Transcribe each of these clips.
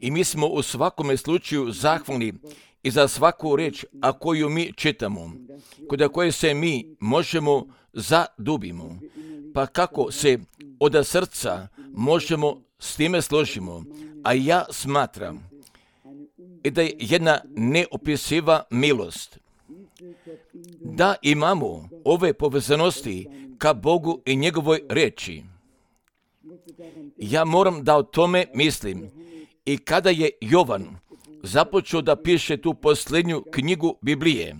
I mi smo u svakome slučaju zahvalni i za svaku riječ, a koju mi čitamo, kod koje se mi možemo zadubimo. Pa kako se od srca možemo s time složimo, a ja smatram da je jedna neopisiva milost da imamo ove povezanosti ka Bogu i njegovoj riječi. Ja moram da o tome mislim. I kada je Jovan započeo da piše tu posljednju knjigu Biblije,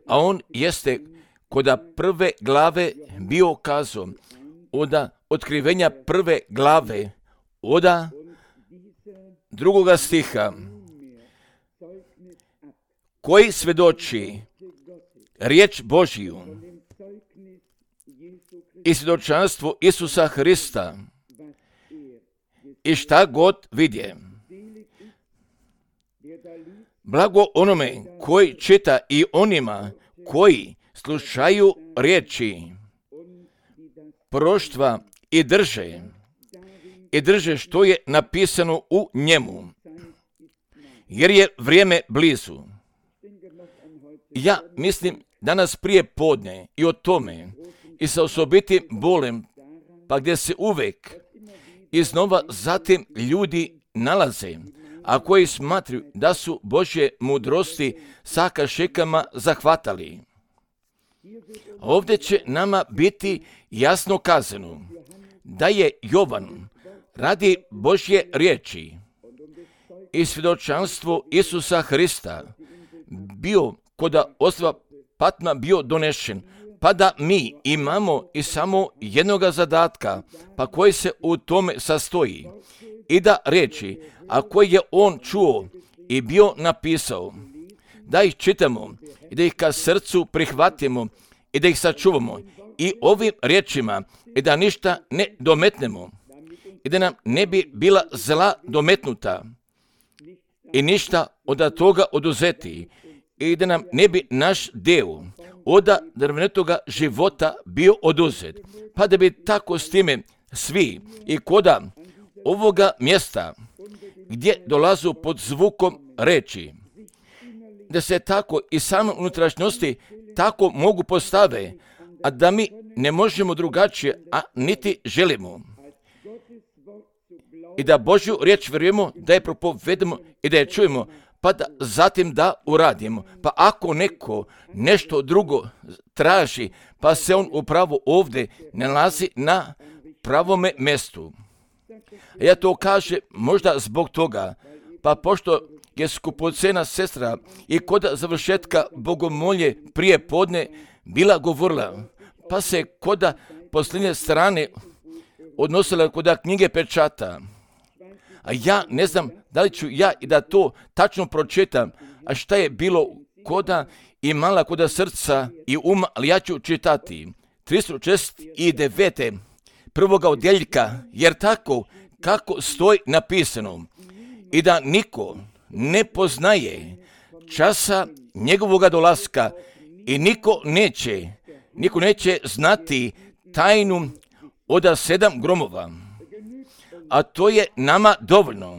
a on jeste kod prve glave bio kazao, od otkrivenja prve glave, od drugoga stiha, koji svedoči riječ Božiju i svjedočanstvo Isusa Hrista i šta god vidje. Blago onome koji čita i onima koji slušaju riječi proroštva i drže što je napisano u njemu, jer je vrijeme blizu. Ja mislim danas prije podne i o tome i sa osobitim bolem, pa gdje se uvek iznova zatim ljudi nalaze, a koji smatruju da su Božje mudrosti sa kašikama zahvatali. Ovdje će nama biti jasno kazano da je Jovan radi Božje riječi i svjedočanstvo Isusa Hrista bio kod ostrva Patma bio donešen, pa da mi imamo i samo jednoga zadatka, pa koji se u tome sastoji, i da reći, a koji je on čuo i bio napisao, da ih čitamo i da ih ka srcu prihvatimo i da ih sačuvamo i ovim riječima i da ništa ne dometnemo i da nam ne bi bila zla dometnuta i ništa od toga oduzeti i da nam ne bi naš deo od drvenetoga života bio oduzet, pa da bi tako s time svi i koda ovoga mjesta gdje dolazu pod zvukom reči, da se tako i same unutrašnjosti tako mogu postave, a da mi ne možemo drugačije, a niti želimo. I da Božju riječ vjerujemo, da je propovedemo i da je čujemo, pa da zatim da uradimo. Pa ako neko nešto drugo traži, pa se on upravo ovdje nalazi na pravome mjestu. Ja to kažem možda zbog toga, pa pošto je skupocena sestra i kod završetka bogomolje prije podne bila govorila, pa se kod posljednje strane odnosila kod knjige pečata. A ja ne znam da li ću ja i da to tačno pročitam, a šta je bilo koda i mala koda srca i uma, ali ja ću čitati 369. prvoga odjeljka, jer tako kako stoji napisano, i da niko ne poznaje časa njegovoga dolaska i niko neće znati tajnu od 7 gromova. A to je nama dovoljno,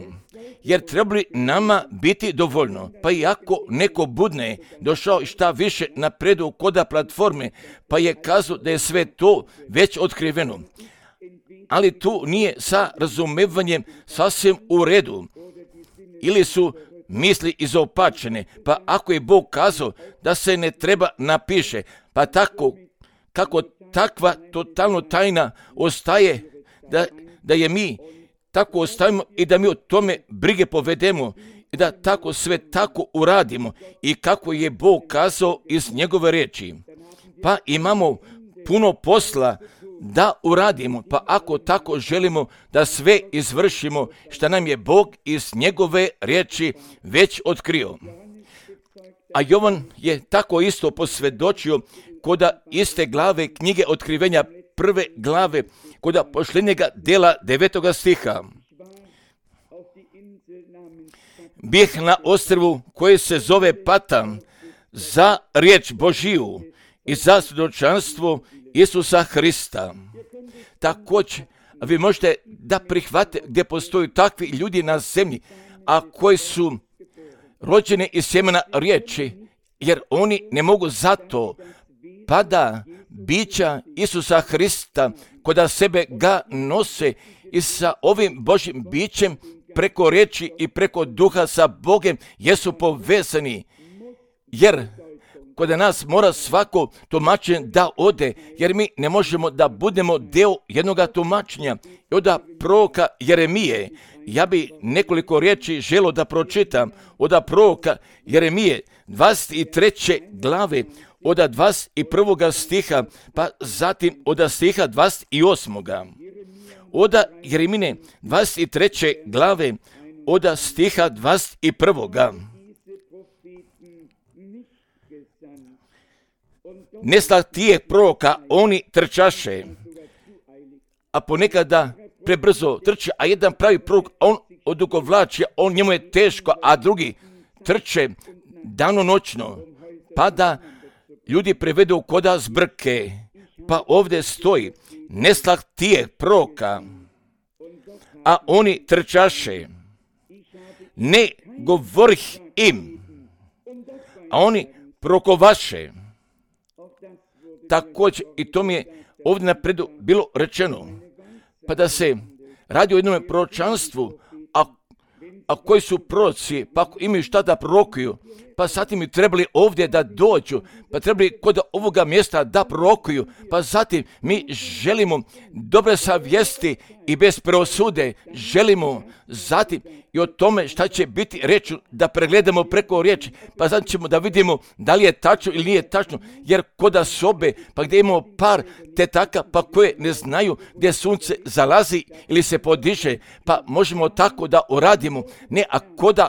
jer treba li nama biti dovoljno, pa i ako neko budne došao šta više napredu koda platforme, pa je kazao da je sve to već otkriveno. Ali tu nije sa razumevanjem sasvim u redu, ili su misli izopačene, pa ako je Bog kazao da se ne treba napiše, pa tako kako takva totalno tajna ostaje, da je mi tako ostavimo i da mi o tome brige povedemo i da tako sve tako uradimo i kako je Bog kazao iz njegove riječi. Pa imamo puno posla da uradimo, pa ako tako želimo da sve izvršimo što nam je Bog iz njegove riječi već otkrio. A Jovan je tako isto posvjedočio kod iste glave knjige Otkrivenja prve glave, kod posljednjega dela 9. stiha. Bih na ostrvu koje se zove Patam za riječ Božiju i za svjedočanstvo Isusa Hrista. Također vi možete da prihvate gdje postoji takvi ljudi na zemlji, a koji su rođeni iz sjemena riječi, jer oni ne mogu zato pa da bića Isusa Hrista koda sebe ga nose i sa ovim Božjim bićem preko riječi i preko duha sa Bogem jesu povezani, jer kod nas mora svako tumačenje da ode, jer mi ne možemo da budemo deo jednoga tumačenja. I od proroka Jeremije, ja bi nekoliko riječi želio da pročitam od proroka Jeremije 23. glave, od 21. stiha, pa zatim od stiha 28. Od Jeremine 23. glave, od stiha 21. Nestah tijeh proroka, oni trčaše, a ponekada prebrzo trče, a jedan pravi prorok, on odugovlači, njemu je teško, a drugi trče danonoćno, pa da ljudi prevedu koda zbrke. Pa ovdje stoji, nestah tijeh proroka, a oni trčaše, ne govorih im, a oni prokovaše. Također, i to mi je ovdje napredu bilo rečeno, pa da se radi o jednom proročanstvu, a koji su proroci, pa ako imaju šta da prorokuju, pa zatim mi trebali ovdje da dođu, pa trebali kod ovoga mjesta da prorokuju, pa zatim mi želimo dobre savjesti i bez preosude, želimo zatim i o tome šta će biti reći, da pregledamo preko riječi, pa zatim ćemo da vidimo da li je tačno ili nije tačno, jer koda sobe, pa gdje imamo par tetaka, pa koje ne znaju gdje sunce zalazi ili se podiže, pa možemo tako da uradimo, ne, a koda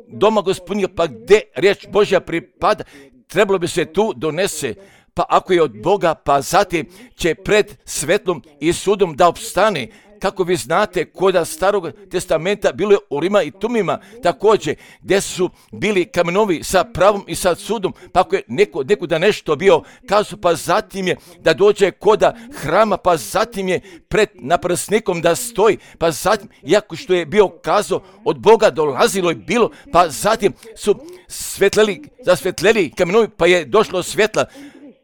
doma Gospodnja, pa gdje riječ Božja pripada, trebalo bi se tu donese, pa ako je od Boga, pa zatim će pred svetlom i sudom da opstane. Kako vi znate, koda Starog testamenta bilo je u Rima i Tumima također, gdje su bili kamenovi sa pravom i sa sudom, pa ako je neko da nešto bio kazao, pa zatim je da dođe koda hrama, pa zatim je pred naprsnikom da stoji, pa zatim, iako što je bio kazao, od Boga dolazilo je bilo, pa zatim su zasvetleli kamenovi, pa je došlo svjetla,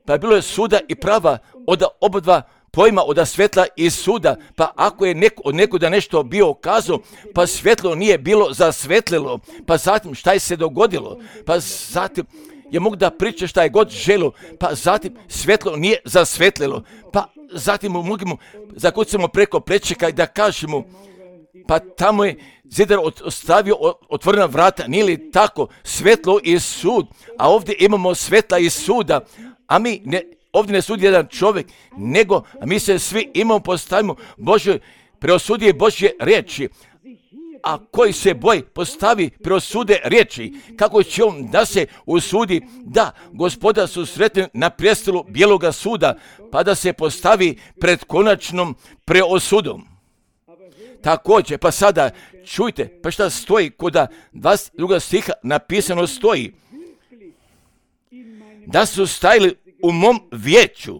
pa je bilo je suda i prava od obadva pojma od svjetla i suda, pa ako je neko da nešto bio kazao, pa svjetlo nije bilo zasvetlilo, pa zatim šta je se dogodilo, pa zatim je mogu da priča šta je god želo, pa zatim svjetlo nije zasvetlilo, pa zatim možemo zakucamo preko plečika i da kažemo, pa tamo je zidar ostavio otvorena vrata, nije li tako, svetlo i sud, a ovdje imamo svetla i suda, a mi ovdje ne sudi jedan čovjek, nego mi se svi imamo, postavimo Božoj, preosudije Božje riječi. A koji se boj postavi preosude riječi, kako će on da se usudi da Gospoda susretne na prijestolu bijeloga suda, pa da se postavi pred konačnom preosudom. Također, pa sada čujte, pa šta stoji koda 22. stiha napisano stoji, da su stajali u mom vijeću,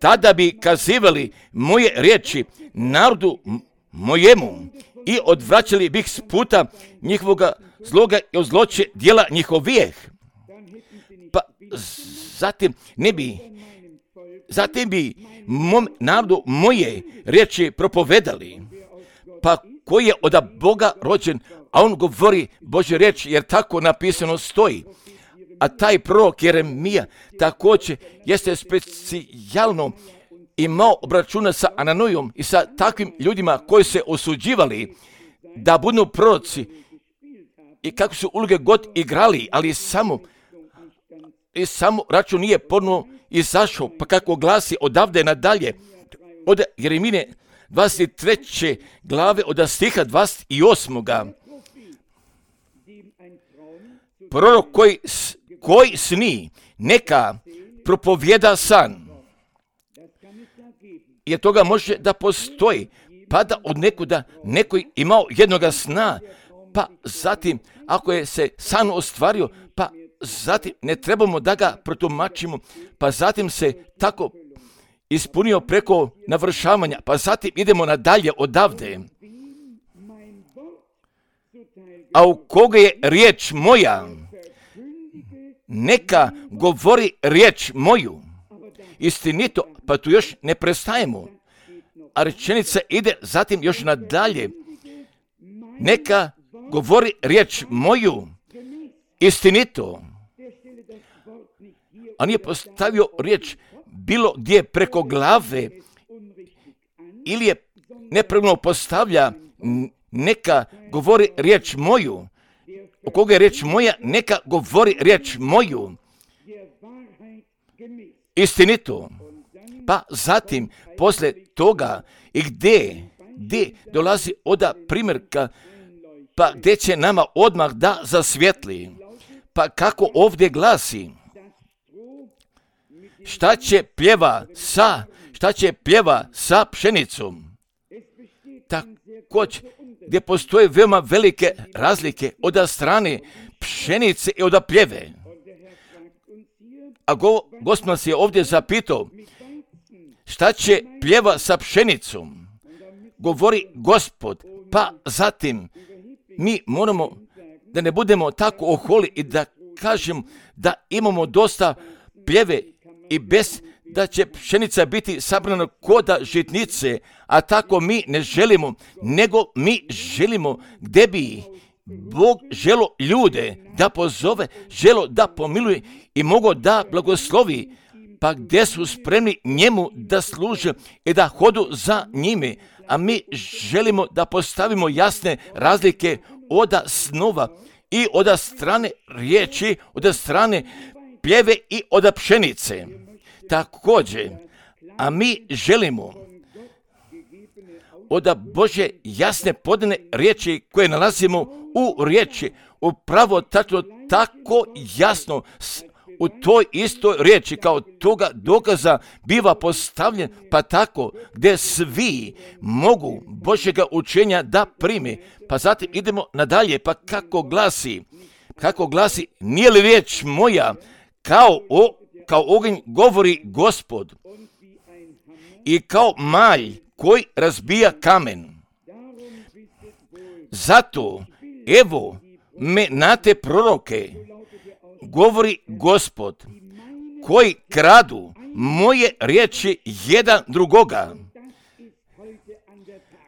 tada bi kazivali moje riječi narodu mojemu i odvraćali bih s puta njihovoga zloga i od zloće dijela njihovijeh. Pa zatim bi mom narodu moje riječi propovedali. Pa koji je od Boga rođen, a on govori Božje riječi, jer tako napisano stoji. A taj prorok Jeremija također jeste specijalno imao obračuna sa Ananojom i sa takvim ljudima koji se osuđivali da budu proroci i kako su uloge god igrali, ali samo račun nije ponovno izašao, pa kako glasi odavde nadalje od Jeremine 23. glave od stiha 28. Prorok koji sni, neka propovjeda san. Jer toga može da postoji, pa da od nekuda neko imao jednoga sna, pa zatim ako je se san ostvario, pa zatim ne trebamo da ga protumačimo, pa zatim se tako ispunio preko navršavanja, pa zatim idemo nadalje odavde. A u koga je riječ moja, neka govori riječ moju. Istinito, pa tu još ne prestajemo. A rečenica ide zatim još nadalje. Neka govori riječ moju. Istinito. A nije postavio riječ bilo gdje preko glave ili je nepravilno postavlja neka govori riječ moju. U koga je riječ moja, neka govori riječ moju. Istinito. Pa zatim, poslije toga, i gdje dolazi oda primjerka, pa gdje će nama odmah da zasvjetli. Pa kako ovdje glasi, šta će pljeva sa pšenicom? Također, gdje postoje veoma velike razlike od strane pšenice i od pljeve. A Gospod nas je ovdje zapitao, šta će pljeva sa pšenicom? Govori Gospod, pa zatim mi moramo da ne budemo tako oholi i da kažem da imamo dosta pljeve i bez da će pšenica biti sabrana koda žitnice, a tako mi ne želimo, nego mi želimo gdje bi Bog želo ljude da pozove, želo da pomiluje i mogo da blagoslovi, pa gdje su spremni njemu da služe i da hodu za njime, a mi želimo da postavimo jasne razlike od snova i od strane riječi, od strane pljeve i od pšenice. Također, a mi želimo od Božje jasne podane riječi koje nalazimo u riječi, upravo tačno tako jasno u toj istoj riječi kao toga dokaza biva postavljen, pa tako gdje svi mogu Božjega učenja da prime. Pa zatim idemo nadalje, pa kako glasi, nije li riječ moja kao oganj govori Gospod i kao malj koji razbija kamen. Zato, evo me na te proroke, govori Gospod, koji kradu moje riječi jedan drugoga.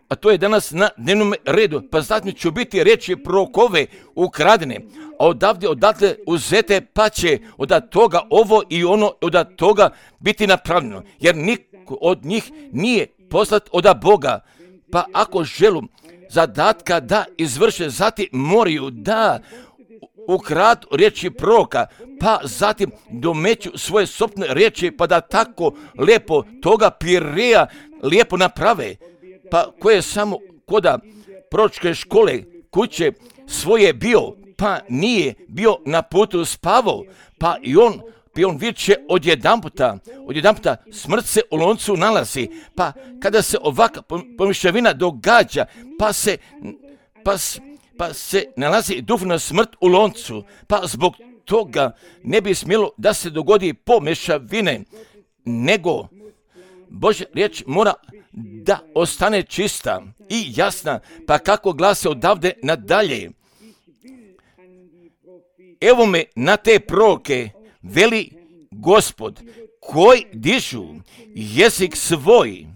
A to je danas na dnevnom redu. Pa zatim ću biti riječi prorokove ukradene, a odatle uzete, pa će od toga ovo i ono od toga biti napravljeno. Jer niko od njih nije poslat od Boga. Pa ako želu zadatka da izvrše, zatim moraju da ukradu riječi proroka, pa zatim domeću svoje sopne riječi, pa da tako lijepo toga pireja lijepo naprave. Pa ko je samo koda proročke škole kuće svoje bio, pa nije bio na putu spavao, pa i on viče odjedanputa smrt se u loncu nalazi, pa kada se ovakva pomišljavina događa, pa se nalazi duhovna smrt u loncu, pa zbog toga ne bi smjelo da se dogodi pomješavine, nego Božja riječ mora da ostane čista i jasna, pa kako glase odavde nadalje. Evo me na te proroke, veli Gospod, koji dižu jezik svoj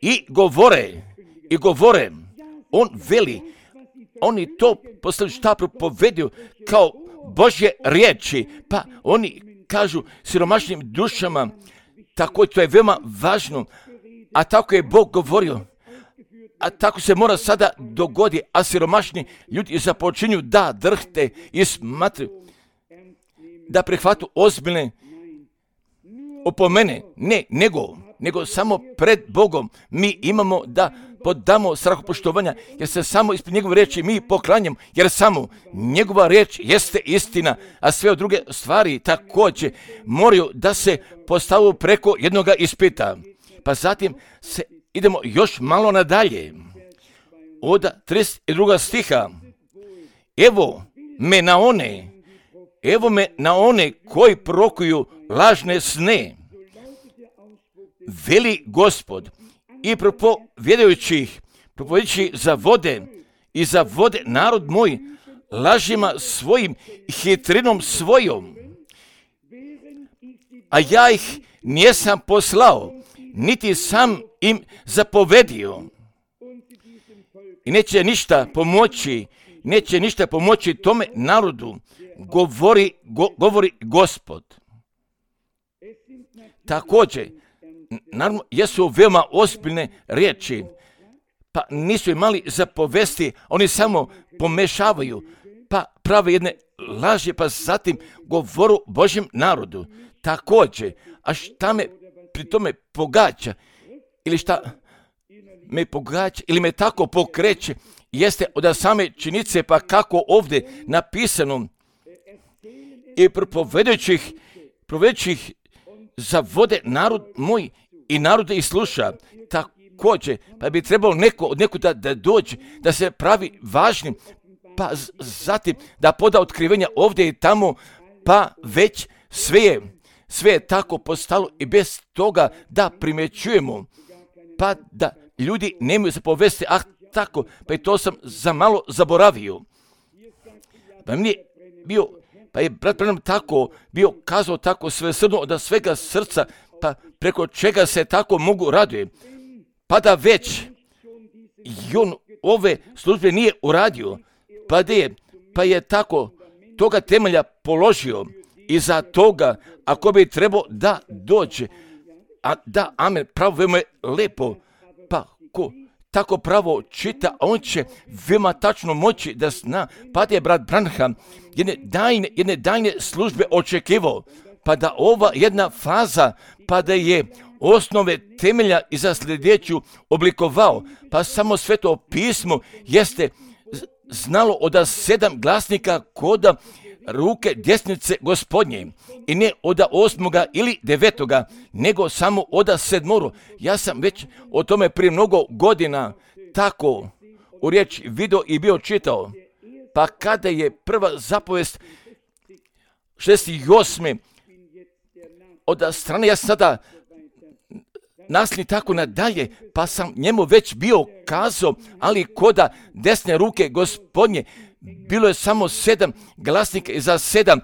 i govore, on veli, oni to poslije šta propoveduju kao Božje riječi, pa oni kažu siromašnim dušama, tako to je veoma važno, a tako je Bog govorio, a tako se mora sada dogoditi, a siromašni ljudi započinju da drhte i smatruju, da prihvatu ozbiljne opomene, nego samo pred Bogom mi imamo da podamo strahopoštovanja, jer se samo ispred njegove riječi mi poklanjamo, jer samo njegova riječ jeste istina, a sve druge stvari također moraju da se postavu preko jednoga ispita. Pa zatim idemo još malo nadalje. Od 32. stiha. Evo me na one koji prorokuju lažne sne. veli Gospod, i propovjedajući za vode i za vode narod moj, lažima svojim i hitrinom svojom. A ja ih nisam poslao, niti sam im zapovedio. I neće ništa pomoći tome narodu, govori Gospod. Također, naravno, jesu veoma ozbiljne riječi, pa nisu imali zapovesti, oni samo pomešavaju, pa prave jedne laži, pa zatim govoru Božjem narodu. Također, a šta me pri tome pogađa, ili šta me pogađa, ili me tako pokreće, jeste od same činjenice, pa kako ovdje napisano, i propovedajućih za vode narod moj i narode ih sluša. Također, pa bi trebalo neko od nekuda da dođe, da se pravi važnim, pa zatim da poda otkrivenja ovdje i tamo, pa već sve je tako postalo i bez toga da primjećujemo, pa da ljudi nemaju zapovesti, tako, pa i to sam za malo zaboravio. Pa je brat Branham tako bio kazao tako svesrdno od svega srca, pa preko čega se tako mogu raduje. Pa da već i on ove službe nije uradio, pa je tako toga temelja položio i za toga, ako bi trebao da dođe, a da, amen, pravo veoma je lepo, pa ko tako pravo čita, on će veoma tačno moći da zna, pa da je brat Branham jedne dajne službe očekivao, pa da ova jedna faza, pa da je osnove temelja i za sljedeću oblikovao, pa samo Sveto pismo jeste znalo od 7 glasnika koda ruke desnice Gospodnje, i ne od 8. ili 9. nego samo od 7. Ja sam već o tome prije mnogo godina tako u riječi video i bio čitao, pa kada je prva zapovest 68. od strane, ja sada nasli tako nadalje, pa sam njemu već bio kazao, ali koda desne ruke Gospodnje bilo je samo 7 glasnika i za 7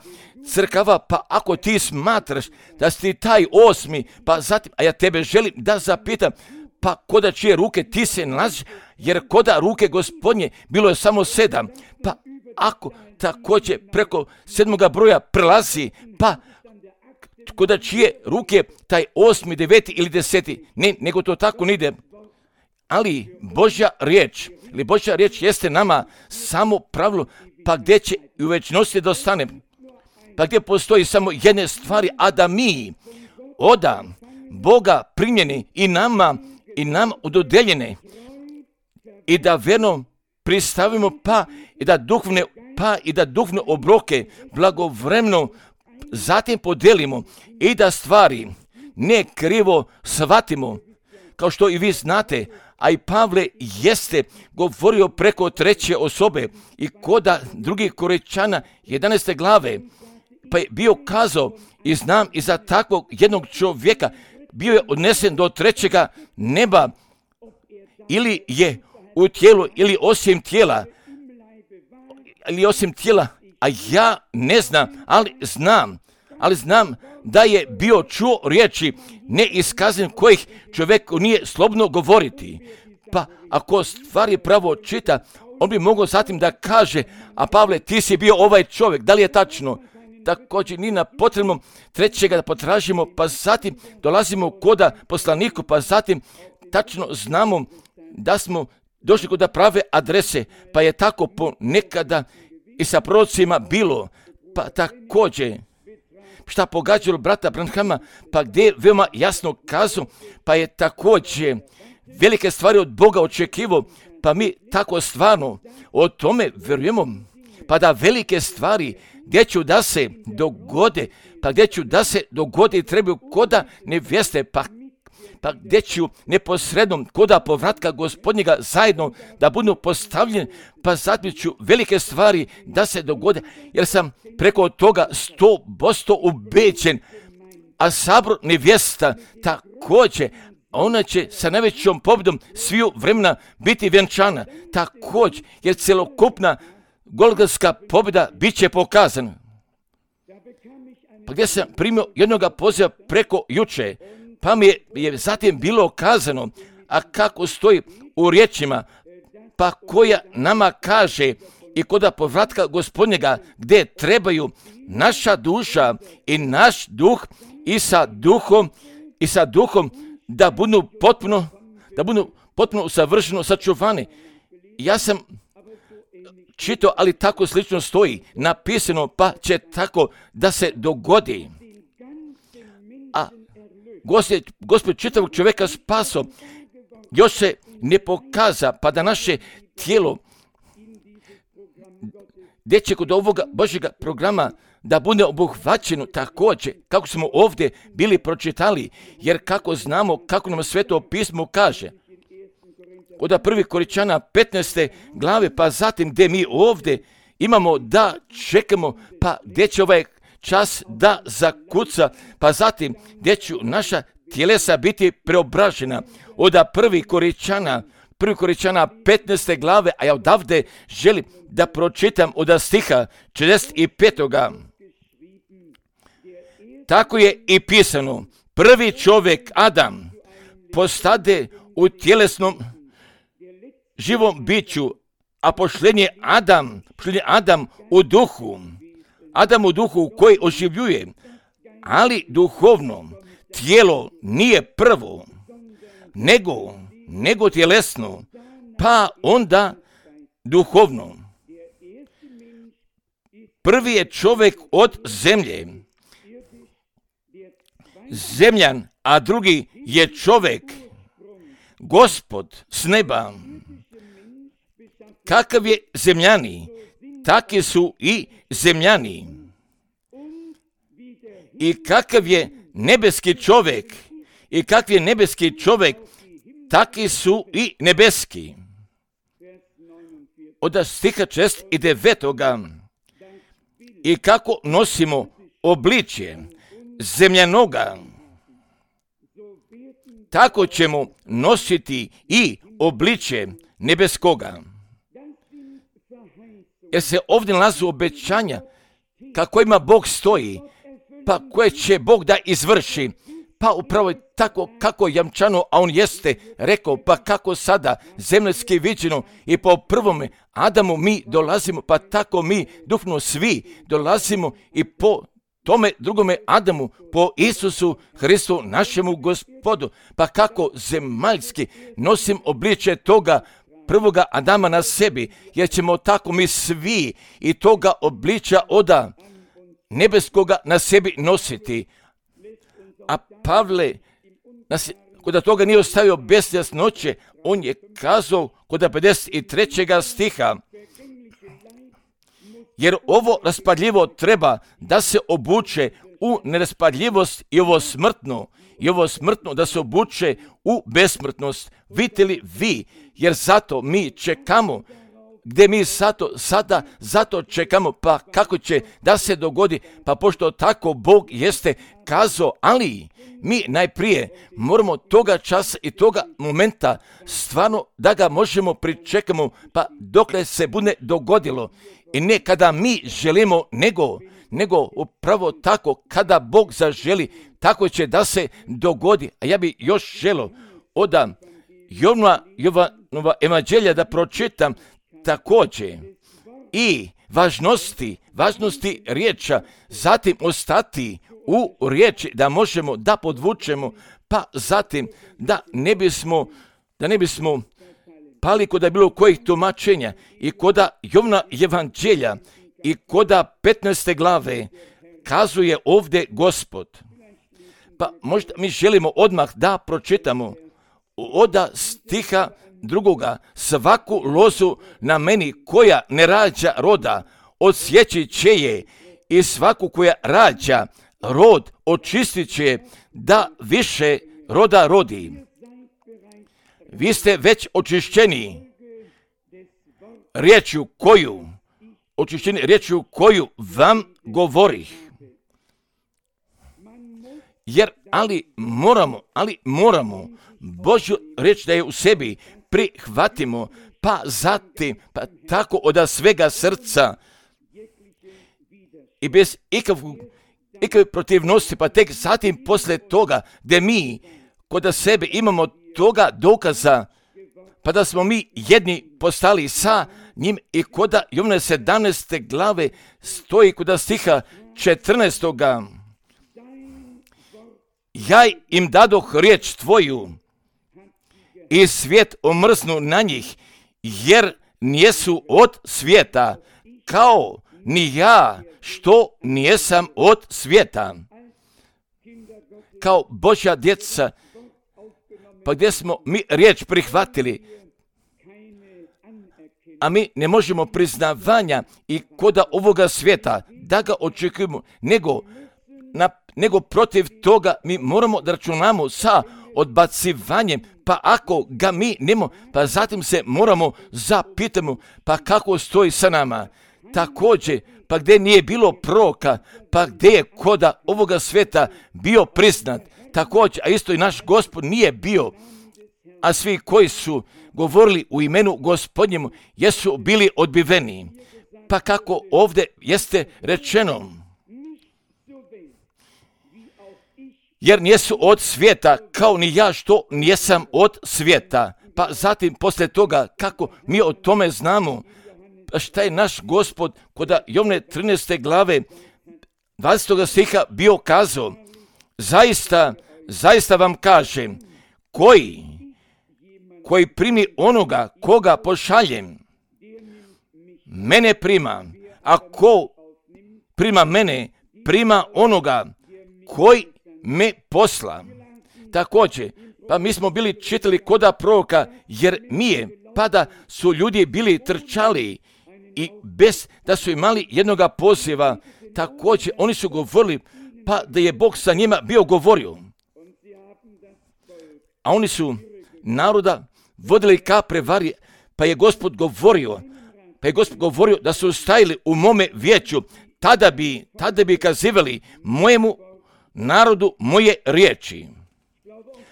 crkava, pa ako ti smatraš da si taj 8, pa zatim, a ja tebe želim da zapitam, pa koda čije ruke ti se nalaziš, jer koda ruke Gospodnje bilo je samo 7, pa ako također preko 7. broja prelazi, pa koda čije ruke taj 8., 9. ili 10. Ne, nego to tako ne ide. Ali Božja riječ jeste nama samo pravilo, pa gdje će i u večnosti da ostane, pa gdje postoji samo jedne stvari, a da mi od Boga primljeni i nam udodeljene, i da verno pristavimo, pa i da duhovne obroke blagovremeno zatim podelimo i da stvari ne krivo shvatimo, kao što i vi znate, a i Pavle jeste govorio preko 3. osobe i koda 2. Korinčana 11. glave, pa je bio kazao, i znam i za takvog jednog čovjeka bio je odnesen do 3. neba, ili je u tijelu ili osim tijela, a ja ne znam, ali znam da je bio čuo riječi neiskazan kojih čovjeku nije slobodno govoriti. Pa ako stvari pravo čita, on bi mogao zatim da kaže, a Pavle, ti si bio ovaj čovjek, da li je tačno? Također ni na potrebnom 3. da potražimo, pa zatim dolazimo koda poslaniku, pa zatim tačno znamo da smo došli kod prave adrese, pa je tako ponekada i sa prorocima bilo, pa također šta pogađalo brata Branhama, pa gdje je veoma jasno kazao, pa je također velike stvari od Boga očekivao, pa mi tako stvarno o tome vjerujemo, pa da velike stvari gdje ću da se dogode, trebaju koda nevjeste, pa gdje ću neposredno koda povratka Gospodnjega zajedno da budu postavljeni, pa zatim ću velike stvari da se dogode, jer sam preko toga 100% ubeđen, a sabor nevjesta također, ona će sa najvećom pobjedom sviju vremena biti vjenčana. Također, jer celokupna golgotska pobjeda bit će pokazana. Pa gdje sam primio jednoga poziva preko juče, pa mi je zatim bilo kazano, a kako stoji u riječima, pa koja nama kaže i koda povratka Gospodnjega, gdje trebaju naša duša i naš duh i sa duhom da budu potpuno savršeno sačuvani. Ja sam čitao, ali tako slično stoji napisano, pa će tako da se dogodi. A Gospod čitavog čovjeka spaso, još se ne pokaza, pa da naše tijelo gdje će kod ovoga Božjega programa da bude obuhvaćeno također, kako smo ovdje bili pročitali, jer kako znamo, kako nam Sveto pismo kaže, od 1. Korinčana 15. glave, pa zatim gdje mi ovdje imamo da čekamo, pa gdje će ovaj čas da zakuca, pa zatim gdje će naša tjelesa biti preobražena. Od 1. Korinčana 15. glave, a ja odavde želim da pročitam od stiha 45. Tako je i pisano, prvi čovjek Adam postade u tjelesnom živom biću, a pošljen je Adam u duhu. Adam u duhu koji oživljuje, ali duhovno tijelo nije prvo, nego tjelesno, pa onda duhovno. Prvi je čovjek od zemlje, zemljan, a drugi je čovjek, Gospod s neba. Kakav je zemljani, takvi su i zemljani. I kakav je nebeski čovjek, takvi su i nebeski. Od stiha 49. I kako nosimo obličje zemljanoga, tako ćemo nositi i obličje nebeskoga. Jer se ovdje nalazi obećanja kako ima Bog stoji, pa koje će Bog da izvrši. Pa upravo tako kako jamčano, a on jeste rekao, pa kako sada zemaljski viđeno i po prvome Adamu mi dolazimo, pa tako mi duhovno svi dolazimo i po tome drugome Adamu, po Isusu Hristu našemu Gospodu. Pa kako zemaljski nosim obličje toga prvoga Adama na sebi, jer ćemo tako mi svi i toga obličja oda nebeskoga na sebi nositi. A Pavle nas, kod toga nije ostavio bez jasnoće, on je kazao kod 53. stiha, jer ovo raspadljivo treba da se obuče u neraspadljivost i ovo smrtno da se obuče u besmrtnost. Vidite li vi, jer zato mi čekamo, gdje mi zato čekamo, pa kako će da se dogodi, pa pošto tako Bog jeste kazao, ali mi najprije moramo toga časa i toga momenta stvarno da ga možemo pričekamo, pa dokle se bude dogodilo. I ne kada mi želimo, nego upravo tako kada Bog zaželi, tako će da se dogodi. A ja bi još želio od Jovanova evanđelja da pročitam također i važnosti riječa, zatim ostati u riječi da možemo da podvučemo, pa zatim da ne bismo pali kod bilo kojih tumačenja i koda Jovna evanđelja i koda 15. glave kazuje ovdje Gospod. Pa možda mi želimo odmah da pročitamo od stiha 2. Svaku lozu na meni koja ne rađa roda, odsjeći će je, i svaku koja rađa rod očistit će da više roda rodi. Vi ste već očišćeni riječju koju vam govorih. ali moramo Božju riječ da je u sebi prihvatimo, pa zatim, pa tako od svega srca i bez ikakve protivnosti, pa tek zatim poslije toga, gdje mi kod sebe imamo toga dokaza, pa da smo mi jedni postali sa njim i kod Jovana 17. glave stoji kod stiha 14. Ja im dadoh riječ tvoju i svijet omrznu na njih, jer nijesu od svijeta, kao ni ja što nijesam od svijeta. Kao Božja djeca, pa gdje smo mi riječ prihvatili, a mi ne možemo priznavanja i koda ovoga svijeta da ga očekujemo, nego protiv toga mi moramo da računamo sa odbacivanjem, pa ako ga mi nemo, pa zatim se moramo zapitamo, pa kako stoji sa nama. Također, pa gdje nije bilo proroka, pa gdje je koda ovoga svijeta bio priznat, također, a isto i naš Gospod nije bio, a svi koji su govorili u imenu Gospodnjemu jesu bili odbiveni. Pa kako ovdje jeste rečeno, jer nijesu od svijeta, kao ni ja što nijesam od svijeta. Pa zatim poslije toga, kako mi o tome znamo, šta je naš Gospod kod Jovne 13. glave 20. stiha bio kazao, zaista vam kažem, koji primi onoga koga pošaljem, mene prima, a ko prima mene, prima onoga koji me posla. Također, pa mi smo bili čitali koda proroka Jeremije, pa da su ljudi bili trčali i bez da su imali jednoga poziva, također oni su govorili, pa da je Bog sa njima bio govorio. A oni su naroda vodili ka prevari, pa je Gospod govorio da su stajali u mome vijeću, tada bi kazivali mojemu narodu moje riječi.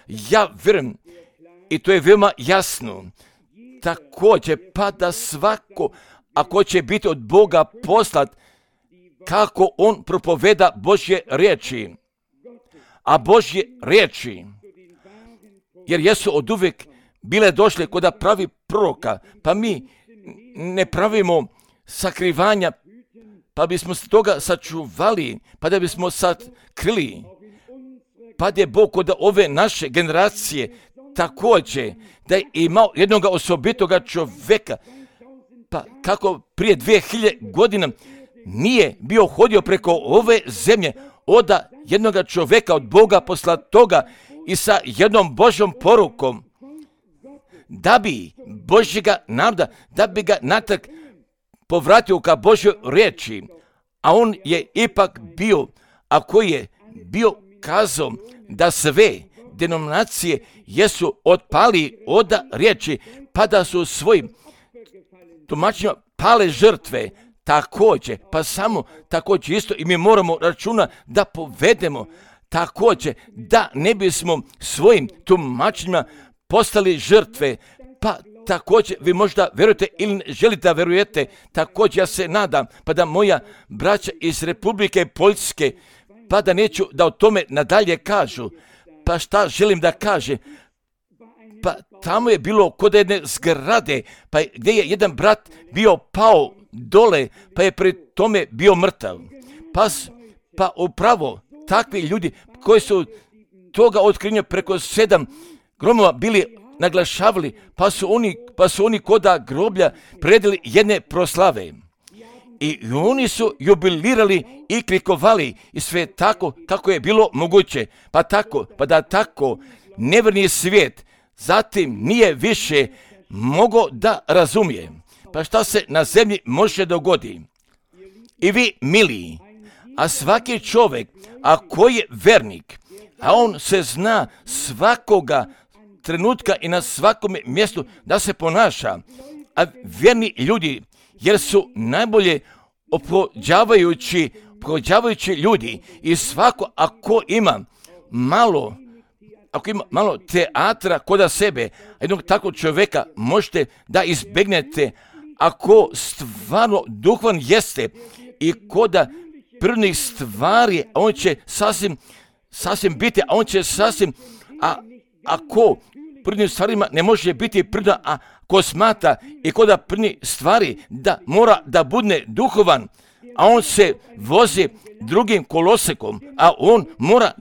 Ja vjerujem, i to je veoma jasno, također pa da svako, ako će biti od Boga poslat, kako on propoveda Božje riječi. A Božje riječi, jer jesu od uvijek bile došle kod pravi proroka, pa mi ne pravimo sakrivanja, pa bismo se toga sačuvali, pa da bismo sakrili. Pa da je Bog kod ove naše generacije također da je imao jednog osobitoga čovjeka, pa kako prije 2000 godina nije bio hodio preko ove zemlje od jednog čovjeka od Boga poslatoga i sa jednom Božjom porukom, da bi Božjega naroda, da bi ga natrag povratio ka Božjoj riječi, a on je ipak bio, a koji je bio kazao da sve denominacije jesu otpali od riječi, pa da su svojim tumačenjima pale žrtve, također, pa samo također isto i mi moramo računa da povedemo, također da ne bismo svojim tumačenjima postali žrtve, pa također vi možda vjerujete ili ne želite da vjerujete, također ja se nadam, pa da moja braća iz Republike Poljske, pa da neću da o tome nadalje kažu, pa šta želim da kaže, pa tamo je bilo kod jedne zgrade, pa gdje je jedan brat bio pao dole, pa je pri tome bio mrtav. Pa upravo takvi ljudi koji su toga otkrinja preko 7 gromova bili naglašavali, pa su oni koda groblja predili jedne proslave. I oni su jubilirali i klikovali i sve tako kako je bilo moguće. Pa da tako nevjerni svijet zatim nije više mogao da razumije. Pa šta se na zemlji može dogoditi? I vi, mili, a svaki čovjek, a koji je vernik, a on se zna svakoga trenutka i na svakom mjestu da se ponaša, a vjerni ljudi, jer su najbolje opođavajući ljudi i svako ako ima malo teatra koda sebe, jednog takvog čovjeka možete da izbegnete ako stvarno duhovan jeste i koda prvnih stvari, on će sasvim biti, a on će sasvim, ako prvnim stvarima ne može biti prda, a ko smata i koda prvnih stvari da mora da bude duhovan, a on se vozi drugim kolosekom, a on mora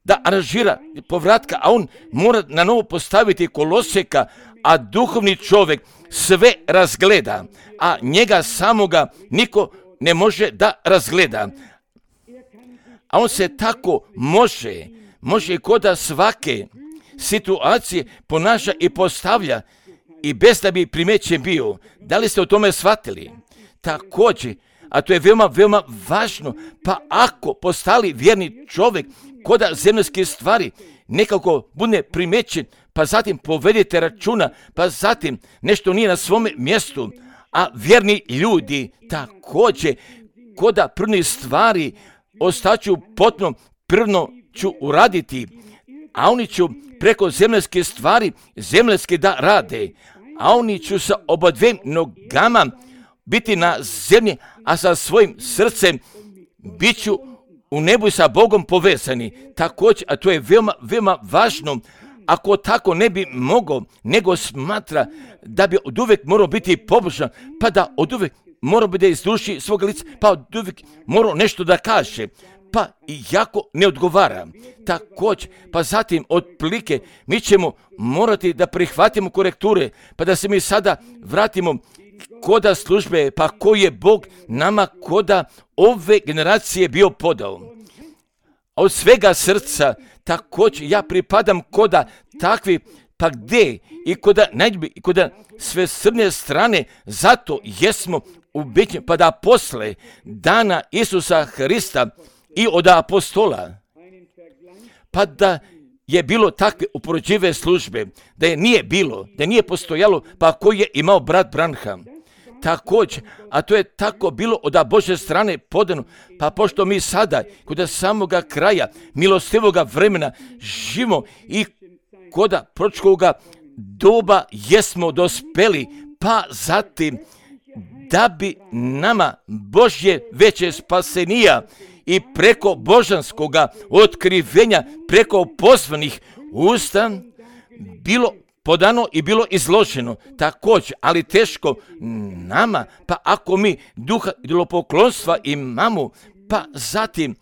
da aranžira povratka, a on mora na novo postaviti koloseka, a duhovni čovjek sve razgleda, a njega samoga niko ne može da razgleda. A on se tako može i koda svake situacije ponaša i postavlja i bez da bi primećen bio. Da li ste o tome shvatili? Također, a to je veoma, veoma važno, pa ako postali vjerni čovjek koda zemaljske stvari nekako bude primećen, pa zatim povedite računa, pa zatim nešto nije na svome mjestu, a vjerni ljudi također koda prvnih stvari ostaću potpuno prvno ću uraditi, a oni ću preko zemaljske stvari zemaljske da rade, a oni ću sa oba dviem nogama biti na zemlji, a sa svojim srcem bit ću u nebu sa Bogom povezani. Također, a to je veoma, veoma važno, ako tako ne bi mogao, nego smatra da bi od uvijek morao biti pobožan, pa da od uvijek morao bi da izduši svoga lica, pa od uvijek morao nešto da kaže, pa jako ne odgovara. Također, pa zatim otprilike mi ćemo morati da prihvatimo korekture, pa da se mi sada vratimo koda službe, pa koji je Bog nama koda ove generacije bio podao. A od svega srca također ja pripadam koda takvi, pa gdje i koda sve srne strane, zato jesmo ubeđeni, pa da posle dana Isusa Hrista i od apostola, pa da je bilo takve upoređive službe, da je nije postojalo, pa koji je imao brat Branham. Također, a to je tako bilo od Božje strane podano, pa pošto mi sada kod samoga kraja milostivoga vremena živimo i kod proročkoga doba jesmo dospeli, pa zatim da bi nama Božje veće spasenija i preko božanskoga otkrivenja, preko pozvanih usta bilo podano i bilo izloženo također, ali teško nama, pa ako mi duha idolopoklonstva imamo, pa zatim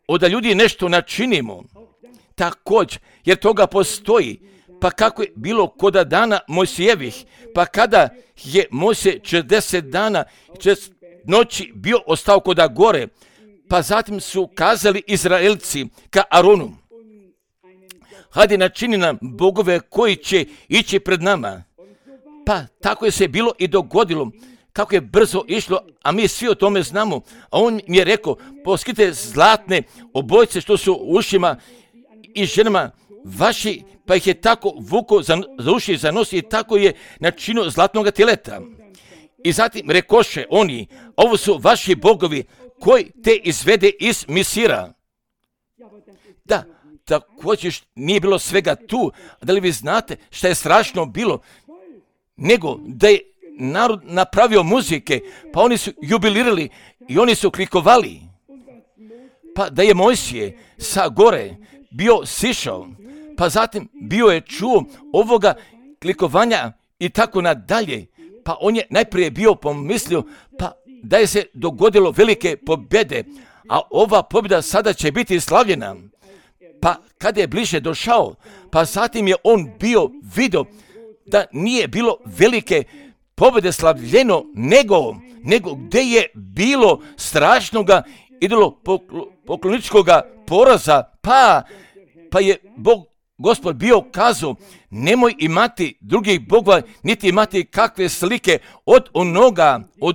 od ljudi nešto načinimo, također, jer toga postoji, pa kako je bilo koda dana Mojsijevih, pa kada je Mojsije 40 dana i 40 noći bio ostao koda gore, pa zatim su kazali Izraelci ka Aronu, hajde načini nam bogove koji će ići pred nama. Pa tako je se bilo i dogodilo, kako je brzo išlo, a mi svi o tome znamo. A on mi je rekao, poskite zlatne obojce što su u ušima i ženama vaši, pa ih je tako vuko za uši, za nos i tako je načinio zlatnog teleta. I zatim rekoše oni, ovo su vaši bogovi koji te izvede iz Misira. Da, također nije bilo svega tu, da li vi znate šta je strašno bilo, nego da je narod napravio muzike, pa oni su jubilirali i oni su klikovali. Pa da je Mojsije sa gore bio sišao, pa zatim bio je čuo ovoga klikovanja i tako nadalje, pa on je najprije bio pomislio, pa da je se dogodilo velike pobjede, a ova pobjeda sada će biti slavljena. Pa kada je bliže došao, pa zatim je on bio vidio da nije bilo velike pobjede slavljeno, nego gdje je bilo strašnoga idolopokloničkoga poraza, pa je Gospod bio kazao, nemoj imati drugih bogova, niti imati kakve slike od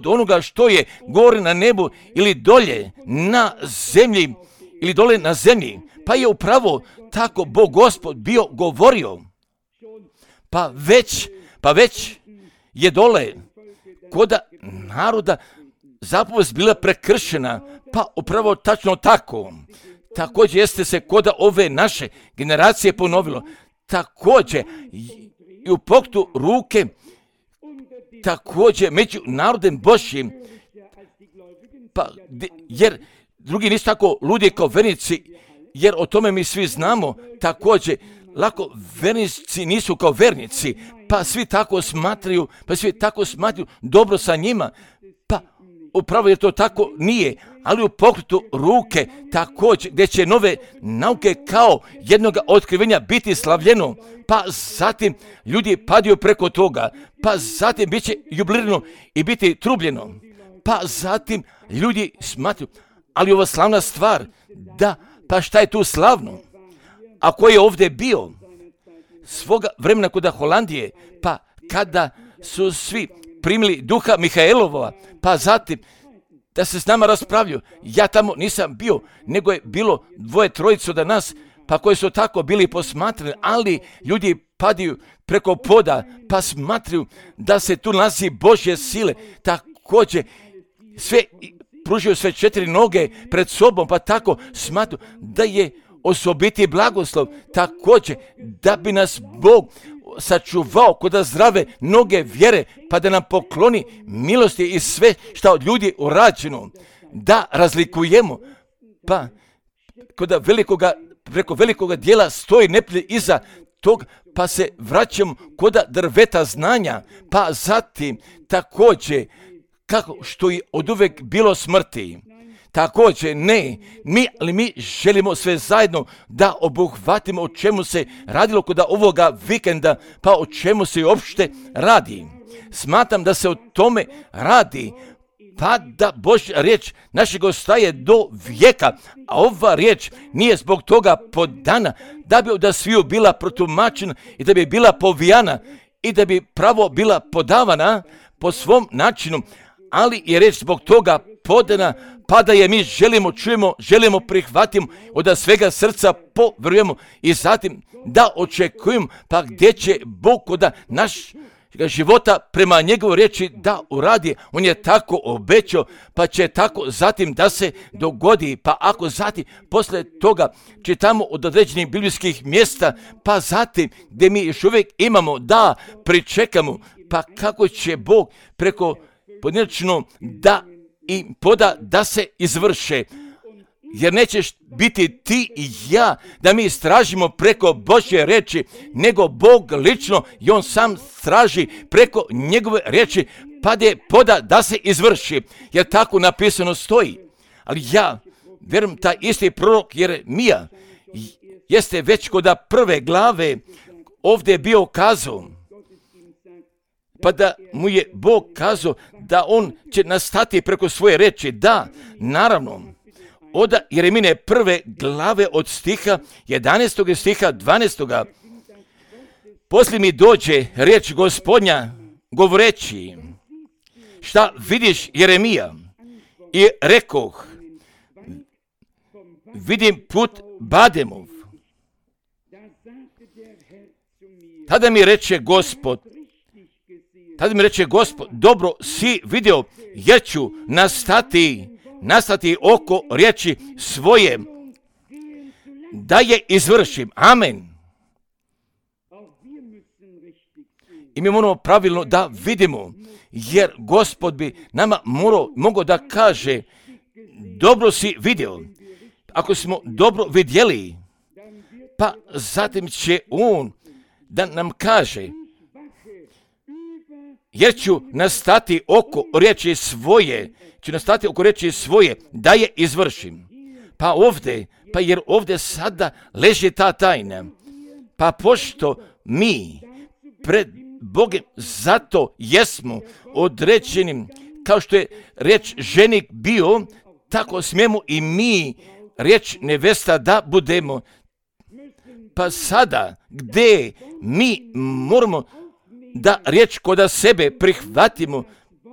onoga što je gore na nebu ili dolje na zemlji, ili dole na zemlji. Pa je upravo tako Bog Gospod bio govorio. Pa već je dole koda naroda zapovest bila prekršena, pa upravo tačno tako. također jeste se kod ove naše generacije ponovilo. Također i u pokretu ruke, također među narodem Božjim, pa, jer drugi nisu tako ludi kao vernici, jer o tome mi svi znamo. Također, lako vernici nisu kao vernici, pa svi tako smatraju, dobro sa njima, pa upravo je to tako nije, ali u pokretu ruke također gdje će nove nauke kao jednoga otkrivenja biti slavljeno, pa zatim ljudi padaju preko toga, pa zatim bit će jubilirano i biti trubljeno, pa zatim ljudi smatruju, ali ova slavna stvar, da, pa šta je tu slavno? A ko je ovdje bio svoga vremena kod Holandije, pa kada su svi primili duha Mihaelova, pa zatim da se s nama raspravljaju. Ja tamo nisam bio, nego je bilo 2-3 od nas, pa koji su tako bili posmatrani, ali ljudi padaju preko poda, pa smatruju da se tu nalazi Božje sile, također sve pružaju sve 4 noge pred sobom, pa tako smatruju da je osobiti blagoslov, također da bi nas Bog sačuvao kod zdrave noge vjere, pa da nam pokloni milosti i sve što od ljudi urađeno, da razlikujemo, pa preko velikoga dijela stoji neprijatelj iza tog, pa se vraćamo kod drveta znanja, pa zatim također kako što je od uvek bilo smrti. Također ne, mi želimo sve zajedno da obuhvatimo o čemu se radilo kod ovoga vikenda, pa o čemu se uopšte radi. Smatram da se o tome radi, pa da Božja riječ našeg ostaje do vijeka, a ova riječ nije zbog toga podana da bi od sviju bila protumačena i da bi bila povijana i da bi pravo bila podavana po svom načinu, ali je riječ zbog toga podana, pa da je mi želimo prihvatimo, od svega srca povjerujemo i zatim da očekujemo, pa gdje će Bog kod naš života prema njegovoj riječi da uradi. On je tako obećao, pa će tako zatim da se dogodi, pa ako zatim posle toga čitamo od određenih biblijskih mjesta, pa zatim gdje mi još uvijek imamo da pričekamo, pa kako će Bog preko pojedinačno da i poda da se izvrše. Jer nećeš biti ti i ja da mi istražimo preko Božje riječi, nego Bog lično i On sam traži preko njegove riječi, pa da je poda da se izvrši. Jer tako napisano stoji. Ali ja vjerujem taj isti prorok Jeremija jeste već kod prve glave ovdje bio kazao, pa da mu je Bog kazao da on će nastati preko svoje riječi. Da, naravno, od Jeremine prve glave od stiha 11. stiha 12. Poslije mi dođe riječ Gospodnja govoreći, šta vidiš Jeremija? I rekoh, vidim put Bademov. Tada mi reče Gospod, dobro si vidio, jer ću nastati oko riječi svoje, da je izvršim. Amen. I mi moramo pravilno da vidimo, jer Gospod bi nama mogao da kaže, dobro si vidio. Ako smo dobro vidjeli, pa zatim će On da nam kaže, jer ću nastati oko riječi svoje, da je izvršim. Jer ovdje sada leži ta tajna. Pa pošto mi pred Bogom zato jesmo određeni, kao što je riječ ženik bio, tako smijemo i mi riječ nevesta da budemo. Pa sada gdje mi moramo da riječ kod sebe prihvatimo,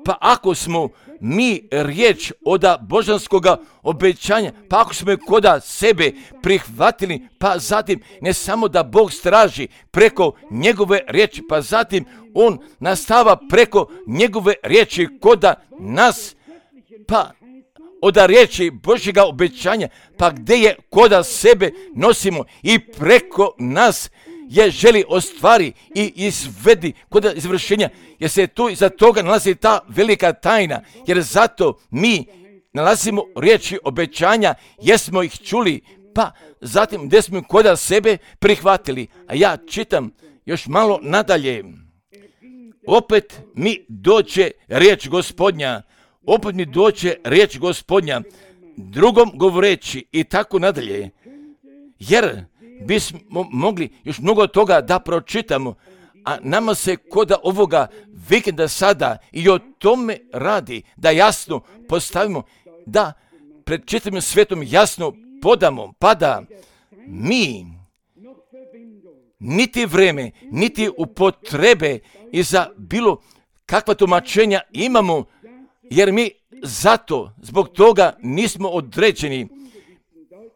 pa ako smo mi riječ od božanskoga obećanja, pa ako smo je kod sebe prihvatili, pa zatim ne samo da Bog straži preko njegove riječi, pa zatim On nastava preko njegove riječi kod nas, pa od riječi Božjega obećanja, pa gdje je koda sebe nosimo i preko nas je želi ostvari i izvedi kod izvršenja, jer se tu iza toga nalazi ta velika tajna, jer zato mi nalazimo riječi obećanja, jesmo ih čuli, pa zatim gdje smo koda sebe prihvatili. A ja čitam još malo nadalje. Opet mi dođe riječ Gospodnja, opet mi dođe riječ Gospodnja, drugom govoreći i tako nadalje, jer bismo mogli još mnogo toga da pročitamo, a nama se koda ovoga vikenda sada i o tome radi, da jasno postavimo, da pred čitavim svetom jasno podamo, pa da mi niti vreme, niti upotrebe i za bilo kakva tumačenja imamo, jer mi zato, zbog toga nismo određeni,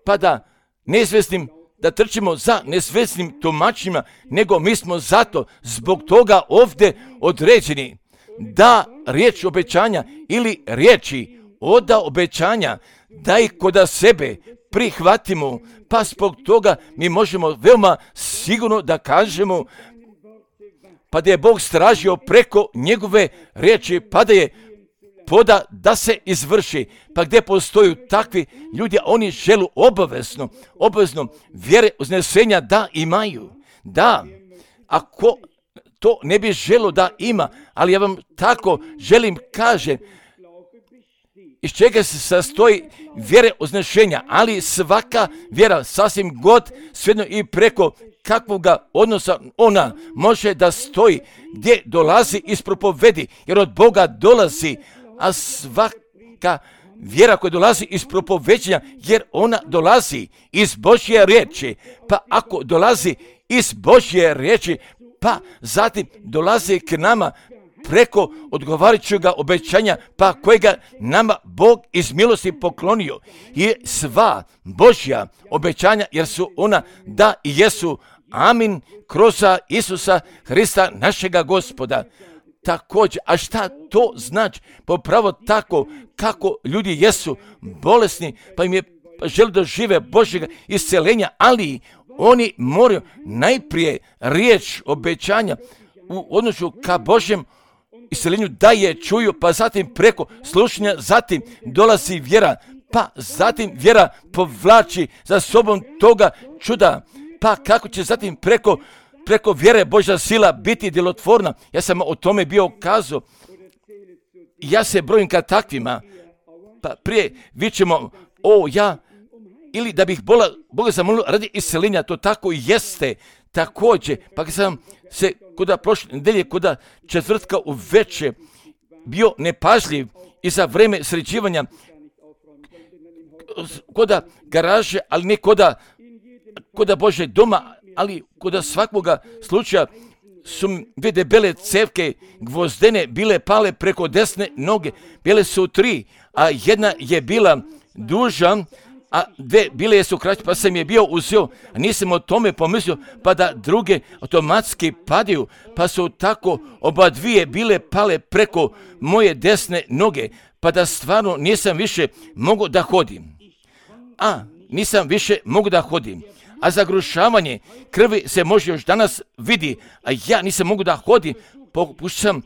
pa da nesvjesnim da trčimo za nesvjesnim tumačima, nego mi smo zato, zbog toga ovdje određeni, da riječ obećanja ili riječi oda obećanja, da ih koda sebe prihvatimo, pa zbog toga mi možemo veoma sigurno da kažemo, pa da je Bog stražio preko njegove riječi, pa da je poda da se izvrši, pa gdje postoju takvi ljudi, oni želu obavezno vjere uznesenja da imaju. Da, ako to ne bi želo da ima, ali ja vam tako želim kažem, iz čega se sastoji vjere uznešenja, ali svaka vjera sasvim god, svejedno i preko kakvoga odnosa ona može da stoji, gdje dolazi iz propovedi, jer od Boga dolazi, a svaka vjera koja dolazi iz propoveđenja, jer ona dolazi iz Božje riječi, pa ako dolazi iz Božje riječi, pa zatim dolazi k nama preko odgovarajućega obećanja, pa kojega nama Bog iz milosti poklonio. I sva Božja obećanja, jer su ona da i jesu, amin, kroz Isusa Hrista našega Gospoda. Također, a šta to znači? Popravo tako kako ljudi jesu bolesni, pa im je žele da žive Božjega isceljenja, ali oni moraju najprije riječ obećanja u odnosu ka Božjem isceljenju da je čuju, pa zatim preko slušanja, zatim dolazi vjera, pa zatim vjera povlači za sobom toga čuda, pa kako će zatim preko vjere Božja sila biti djelotvorna. Ja sam o tome bio kazao. Ja se brojim ka takvima, pa prije vičemo, ili da bih Boga zamolio radi isceljenja, to tako i jeste. Također, pa kad sam se koda prošle nedelje, koda četvrtka u večer bio nepažljiv i za vreme sređivanja koda garaže, ali ne koda Bože doma, ali koda svakvoga slučaja su dvije debele cevke gvozdene bile pale preko desne noge. Bile su 3, a jedna je bila duža, a 2 bile su kraće, pa sam je bio uzeo, a nisam o tome pomislio, pa da druge automatski padaju, pa su tako oba dvije bile pale preko moje desne noge, pa da stvarno nisam više mogu da hodim. A zagrušavanje krvi se može još danas vidi, a ja nisam mogu da hodim, pokušam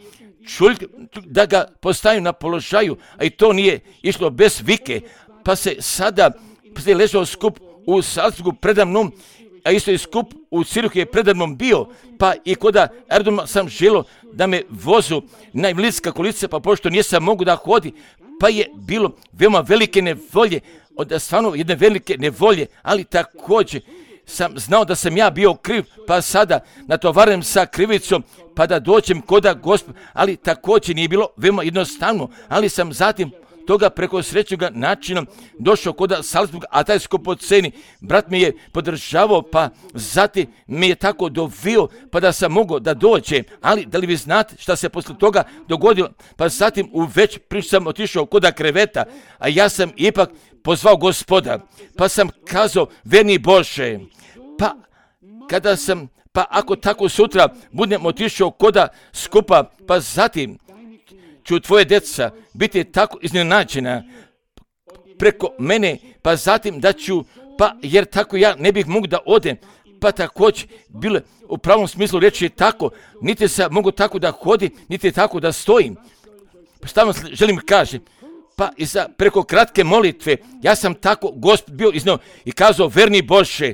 da ga postavim na položaju, a i to nije išlo bez vike, pa se sada ležao skup u Salzburgu predamnom, a isto i skup u Ciruhu je predamnom bio, pa i koda aerodroma sam želio da me vozu na invalidska kolica, pa pošto nisam mogu da hodi, pa je bilo veoma velike nevolje, stvarno jedne velike nevolje, ali također sam znao da sam ja bio kriv, pa sada natovaram sa krivicom, pa da dođem koda Gospoda, ali također nije bilo veoma jednostavno, ali sam zatim toga preko srećnoga načina došao koda Salzburga, a taj skupoceni brat mi je podržavao, pa zatim mi je tako dovio, pa da sam mogao da dođem, ali da li vi znate šta se posle toga dogodilo, pa zatim u već priču sam otišao koda kreveta, a ja sam ipak pozvao Gospoda, pa sam kazao, verni Bože, pa ako tako sutra budem otišao koda skupa, pa zatim ću tvoje djeca biti tako iznenađena preko mene, pa zatim da ću, pa jer tako ja ne bih mogu da odem, pa također bilo u pravom smislu reći tako, niti se mogu tako da hodim, niti tako da stojim. Stalno želim kaži, pa i preko kratke molitve, ja sam tako Gospod bio iznio i kazao, verni Bože,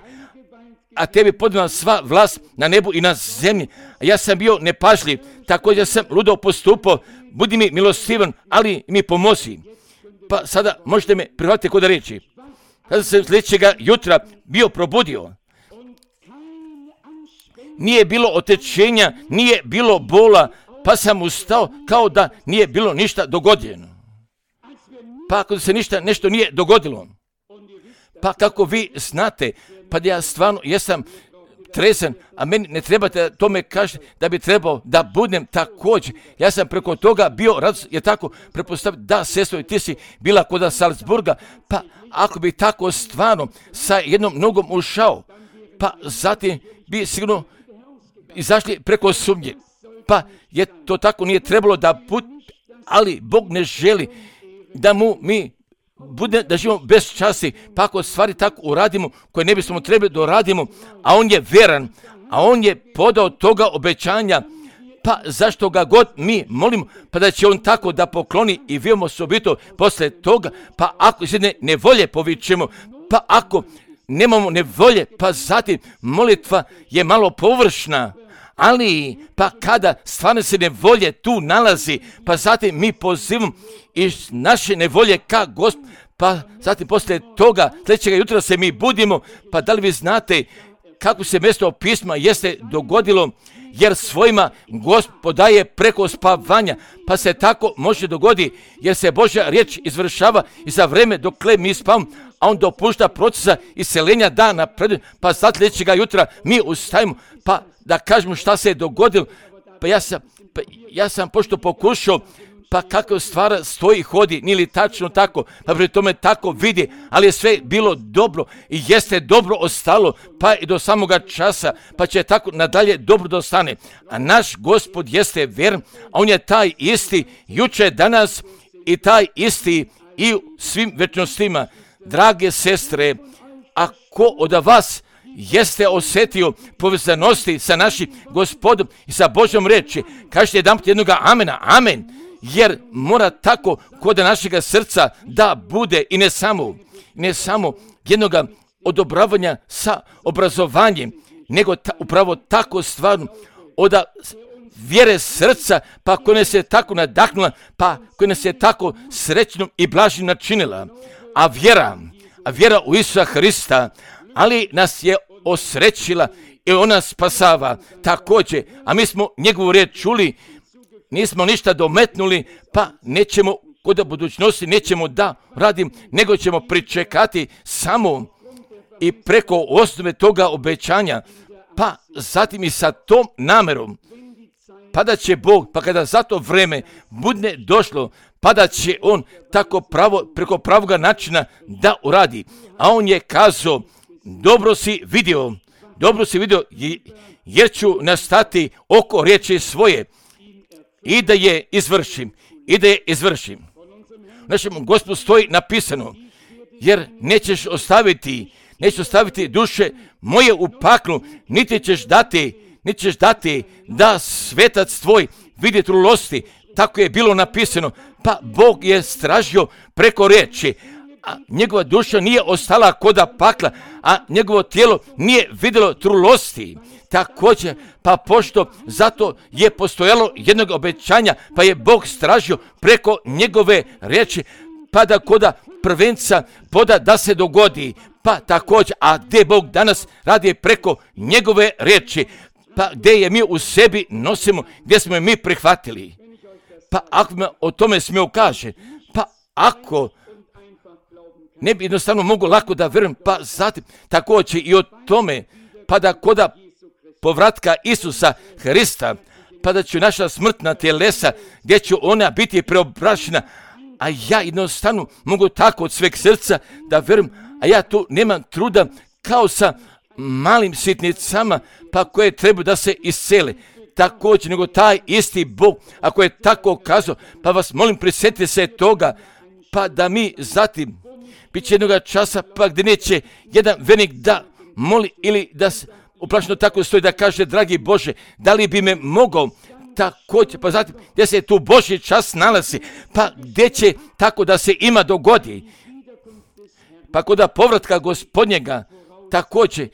a tebi podana sva vlast na nebu i na zemlji. A ja sam bio nepažljiv, također sam ludo postupao, budi mi milostivan, ali mi pomozi. Pa sada možete me prihvatiti kod reći. Sada sam sljedećega jutra bio probudio. Nije bilo otečenja, nije bilo bola, pa sam ustao kao da nije bilo ništa dogodilo. Pa ako se nešto nije dogodilo, pa kako vi znate, pa da ja stvarno jesam trezan, a meni ne trebate tome kažete da bi trebao da budem također. Ja sam preko toga bio, je tako prepostaviti, da sestro, ti si bila kod Salzburga, pa ako bi tako stvarno sa jednom nogom ušao, pa zatim bi sigurno izašli preko sumnje. Pa je to tako nije trebalo da bude, ali Bog ne želi da mi bude da živimo bez časti, pa ako stvari tako uradimo koje ne bismo trebali da uradimo, a on je veran, a on je podao toga obećanja, pa zašto ga god mi molimo, pa da će on tako da pokloni i vidimo osobito posle toga, pa ako iz jedne nevolje povičemo, pa ako nemamo nevolje, pa zatim molitva je malo površna, ali pa kada stvarno se nevolje tu nalazi, pa zatim mi pozivamo iz naše nevolje ka Gospod, pa zatim poslije toga sljedećega jutra se mi budimo, pa da li vi znate kako se mjesto pisma jeste dogodilo, jer svojima Gospod daje preko spavanja, pa se tako može dogodi, jer se Božja riječ izvršava i za vreme dokle mi spavamo, a on dopušta procesa iseljenja da napreduje, pa sad sljedećega jutra mi ustajemo, pa da kažemo šta se je dogodilo, pa ja sam pošto pokušao, pa kako stvar stoji, hodi, nije li tačno tako, pa pri tome tako vidi, ali je sve bilo dobro i jeste dobro ostalo, pa i do samoga časa, pa će tako nadalje dobro dostane. A naš Gospod jeste vjeran, a on je taj isti juče, danas i taj isti i u svim večnostima. Drage sestre, ako od vas jeste osjetio povezanosti sa našim Gospodom i sa Božjom reči, kažete jedanput jednoga amena, amen, jer mora tako kod našega srca da bude i ne samo jednoga odobravanja sa obrazovanjem, nego upravo tako stvarno od vjere srca, pa koja nas je tako nadahnula, pa koja nas je tako srećnom i blažim načinila. A vjera u Isusa Hrista, ali nas je osrećila i ona spasava također, a mi smo njegovu riječ čuli, nismo ništa dometnuli, pa nećemo kod budućnosti, nećemo da radim, nego ćemo pričekati samo i preko osnove toga obećanja, pa zatim i sa tom namerom, pa da će Bog, pa kada za to vreme bude došlo, pa da će on tako preko pravoga načina da uradi. A on je kazao, dobro si vidio, jer ću nastati oko riječi svoje i da je izvršim. Našem Gospodu stoji napisano, jer nećeš ostaviti duše moje u paklu, niti ćeš dati da svetac tvoj vidi trulosti. Tako je bilo napisano, pa Bog je stražio preko riječi, a njegova duša nije ostala koda pakla, a njegovo tijelo nije vidjelo trulosti. Također, pa pošto zato je postojalo jednog obećanja, pa je Bog stražio preko njegove riječi, pa da koda prvenca poda da se dogodi, pa također, a gdje Bog danas radi preko njegove riječi, pa gdje je mi u sebi nosimo, gdje smo je mi prihvatili. Pa ako me o tome smio kaže, pa ako ne bi jednostavno mogu lako da vjerujem, pa zatim također i o tome, pa da koda povratka Isusa Hrista, pa da će naša smrtna tjelesa, gdje će ona biti preobražena, a ja jednostavno mogu tako od sveg srca da vjerujem, a ja tu nemam truda kao sa malim sitnicama, pa koje trebaju da se iscele. Također, nego taj isti Bog, ako je tako kazao, pa vas molim prisjetite se toga, pa da mi zatim Biće jednoga časa pa gdje neće jedan vernik da moli ili da uplašno tako stoji da kaže, dragi Bože, da li bi me mogao također, pa zatim gdje se tu Božji čas nalazi, pa gdje će tako da se ima dogodi, pa kod povratka Gospodnjega također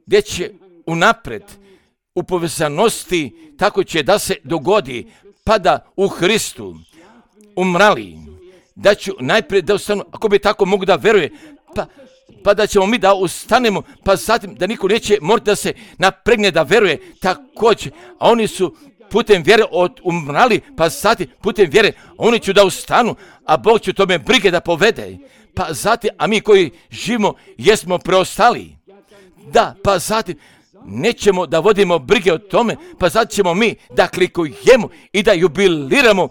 gdje će unapred u povezanosti tako će da se dogodi, pa da u Hristu umrali, da ću najprije da ustanu, ako bi tako mogu da veruje, pa da ćemo mi da ustanemo, pa zatim da niko neće morati da se napregne da veruje također, a oni su putem vjere umrali, pa zatim putem vjere oni će da ustanu, a Bog će tome brige da povede, pa zatim, a mi koji živimo jesmo preostali, da, pa zatim nećemo da vodimo brige o tome, pa zatim ćemo mi da klikujemo i da jubiliramo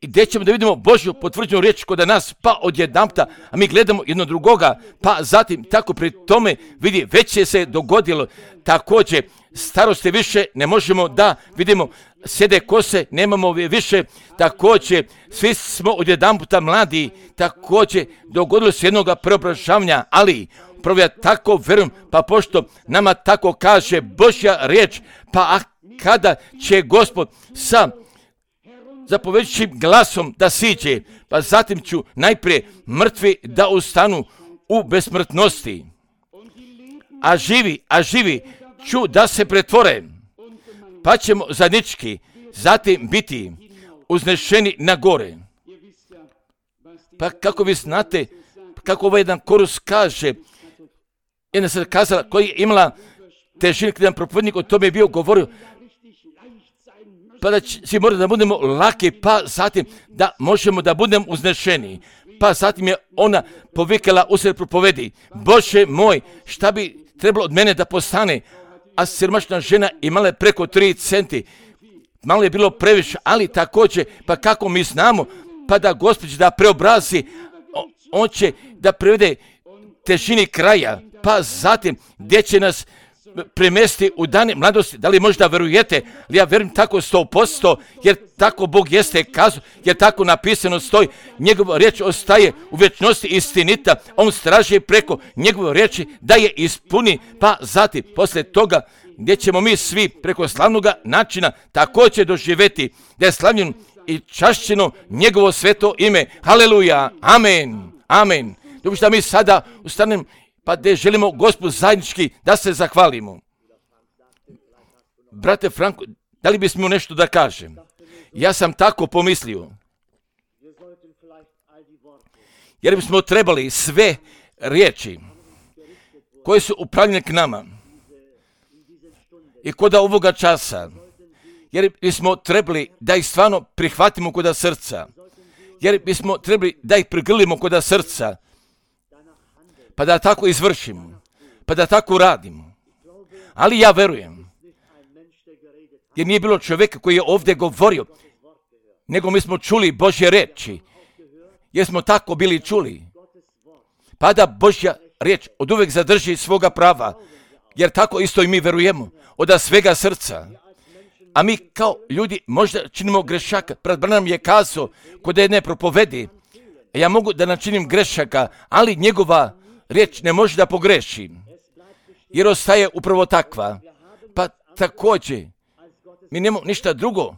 i gdje ćemo da vidimo Božju potvrđenu riječ kod nas, pa odjedanputa, a mi gledamo jedno drugoga, pa zatim tako pri tome vidi, već je se dogodilo, također starosti više ne možemo da vidimo, sjede kose, nemamo više, također svi smo odjedanputa mladi, također dogodilo se jednoga preobražavanja, ali upravo ja tako verujem, pa pošto nama tako kaže Božja riječ, pa kada će Gospod sa zapovedajućim glasom da siđe, pa zatim ću najprije mrtvi da ustanu u besmrtnosti, a živi ću da se pretvore, pa ćemo zajednički zatim biti uznešeni na gore. Pa kako vi znate, kako ovaj jedan korus kaže, jedna se kazala koja je imala težinu, kada jedan propovednik o tome je bio govorio, pa da svi moramo da budemo laki, pa zatim da možemo da budemo uznešeni. Pa zatim je ona povikala usred propovedi, Bože moj, šta bi trebalo od mene da postane? A siromašna žena imala je preko 3 centi. Malo je bilo previše, ali također, pa kako mi znamo, pa da Gospod da preobrazi, on će da prevede težini kraja, pa zatim gdje će nas premesti u dane mladosti. Da li možda verujete? Ali ja verujem tako 100%, jer tako Bog jeste kazao, jer tako napisano stoji, njegova riječ ostaje u vječnosti istinita, on straži preko njegove riječi da je ispuni, pa zatim poslije toga gdje ćemo mi svi preko slavnoga načina također doživjeti da je slavljeno i čašćeno njegovo sveto ime. Haleluja, amen, amen. Dobro što mi sada ustanemo, pa gdje želimo Gospodu zajednički da se zahvalimo. Brate Franko, da li bismo nešto da kažem? Ja sam tako pomislio. Jer bismo trebali sve riječi koje su upravljene k nama i kod ovoga časa, jer bismo trebali da ih stvarno prihvatimo kod srca, jer bismo trebali da ih prigrlimo kod srca, pa da tako izvršimo, pa da tako radimo. Ali ja verujem, jer nije bilo čovjeka koji je ovdje govorio, nego mi smo čuli Božje riječi, jer smo tako bili čuli. Pa da Božja riječ od uvijek zadrži svoga prava, jer tako isto i mi verujemo, od svega srca. A mi kao ljudi možda činimo grešaka. Brat Branham je kazao kod jedne propovedi, ja mogu da načinim grešaka, ali njegova riječ ne može da pogreši, jer ostaje upravo takva. Pa također, mi nemamo ništa drugo,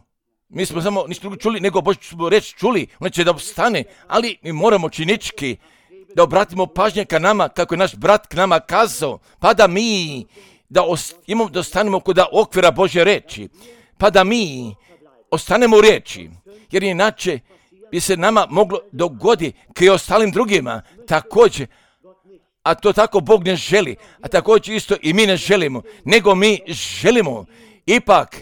mi smo samo ništa drugo čuli, nego Božju riječ čuli, ona će da ostane, ali mi moramo činički da obratimo pažnje ka nama, kako je naš brat k nama kazao, pa da mi da ostanemo kod okvira Božje riječi, pa da mi ostanemo u riječi, jer inače bi se nama moglo dogoditi kao i ostalim drugima također, a to tako Bog ne želi, a također isto i mi ne želimo, nego mi želimo ipak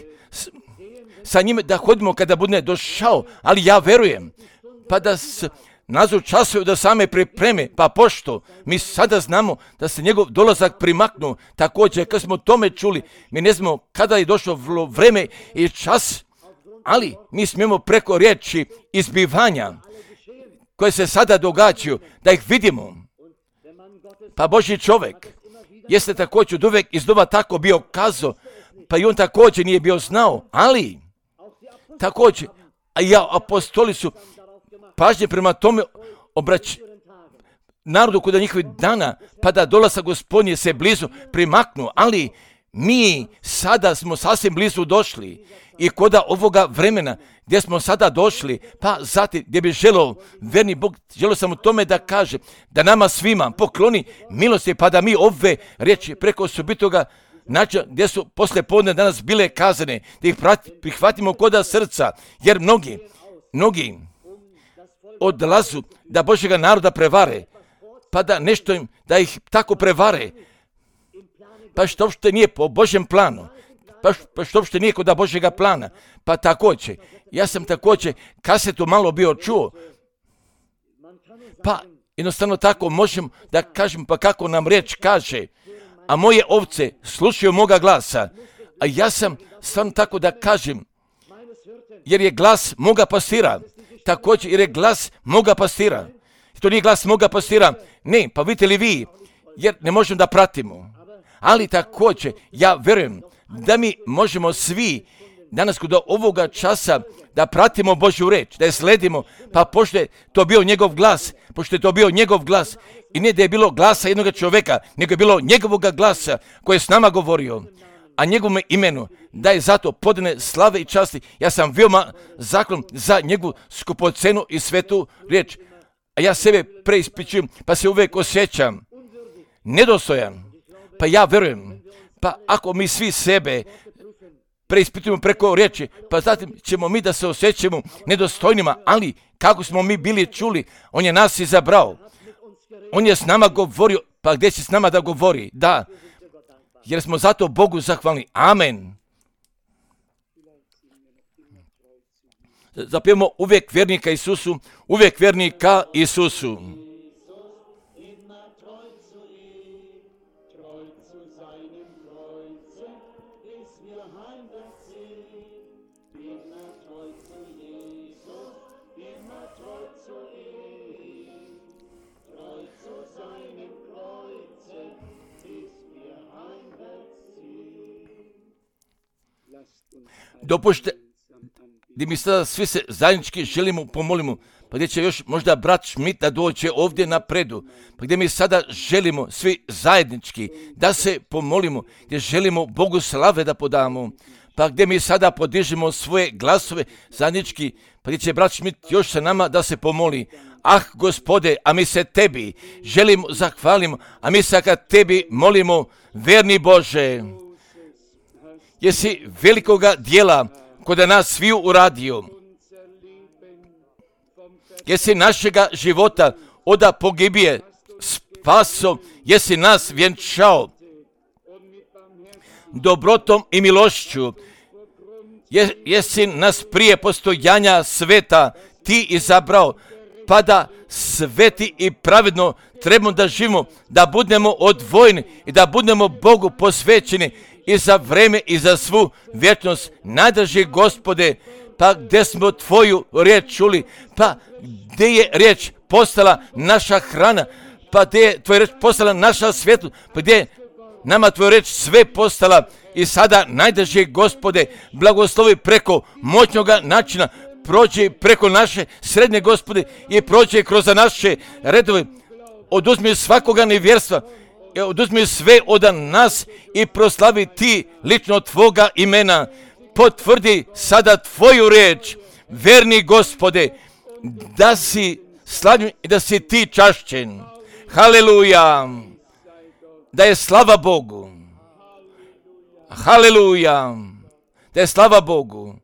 sa njime da hodimo kada bude došao, ali ja verujem, pa da se nazovu časuju da same pripreme, pa pošto mi sada znamo da se njegov dolazak primaknu, također kad smo tome čuli, mi ne znamo kada je došlo vreme i čas, ali mi smijemo preko riječi izbivanja koje se sada događaju, da ih vidimo. Pa Božji čovjek jeste također od uvijek iznova tako bio kazao, pa i on također nije bio znao, ali također, a apostoli su pažnje prema tome narodu kod njihovih dana, pa da dolazak Gospodnje se blizu primaknu, ali mi sada smo sasvim blizu došli i kod ovoga vremena gdje smo sada došli, pa zatim gdje bi želio verni Bog, želio sam u tome da kaže da nama svima pokloni milosti, pa da mi ove riječi preko osobitoga načina gdje su poslije podne danas bile kazane, da ih prihvatimo koda srca, jer mnogi odlazu da Božjega naroda prevare, pa da nešto im, da ih tako prevare, pa što uopšte nije po Božjem planu, pa što uopšte nije kod Božjega plana, pa također, ja sam također kasetu malo bio čuo, pa jednostavno tako možem da kažem, pa kako nam riječ kaže, a moje ovce slušaju moga glasa, a ja sam stvarno tako da kažem, jer je glas moga pastira, također jer je glas moga pastira. To nije glas moga pastira, ne, pa vidite li vi, jer ne možemo da pratimo. Ali također, ja vjerujem da mi možemo svi danas kod ovoga časa da pratimo Božju reč, da je sledimo, pa pošto je to bio njegov glas, i ne da je bilo glasa jednog čovjeka, nego je bilo njegovoga glasa koji je s nama govorio, a njegovom imenu da je zato podane slave i časti. Ja sam veoma zahvalan za njegovu skupocenu i svetu riječ, a ja sebe preispitujem, pa se uvijek osjećam nedostojan, pa ja vjerujem, pa ako mi svi sebe preispitujemo preko riječi, pa zatim ćemo mi da se osjećamo nedostojnima, ali kako smo mi bili čuli, on je nas izabrao, on je s nama govorio, pa gdje će s nama da govori? Da, jer smo zato Bogu zahvalni. Amen. Zapijemo uvijek vjernika Isusu, uvijek vjernika Isusu. Dopušte, gdje mi sada svi se zajednički želimo pomolimo, pa gdje će još možda brat Šmit da dođe ovdje napredu, pa gdje mi sada želimo svi zajednički da se pomolimo, gdje želimo Bogu slave da podamo, pa gdje mi sada podižemo svoje glasove zajednički, pa gdje će brat Šmit još sa nama da se pomoli. Ah, Gospode, a mi se tebi želimo, zahvalimo, a mi se ka tebi molimo, verni Bože, jesi velikoga dijela kod nas sviju uradio, jesi našega života oda pogibije spaso, jesi nas vjenčao dobrotom i milošću, jesi nas prije postojanja sveta ti izabrao, pa da sveti i pravedno trebamo da živimo, da budemo odvojeni i da budemo Bogu posvećeni i za vreme i za svu vječnost. Najdraži Gospode, pa gdje smo tvoju riječ čuli, pa gdje je riječ postala naša hrana, pa gdje je tvoja riječ postala naša svjetlo, pa gdje je nama tvoja riječ sve postala. I sada, najdraži Gospode, blagoslovi preko moćnoga načina, prođi preko naše srednje, Gospode, i prođi kroz naše redove, oduzmi svakoga nevjerstva, oduzmi sve od nas i proslavi ti lično tvoga imena. Potvrdi sada tvoju riječ, verni Gospode, da si slavljen i da si ti čašćen. Haleluja, da je slava Bogu. Haleluja, da je slava Bogu.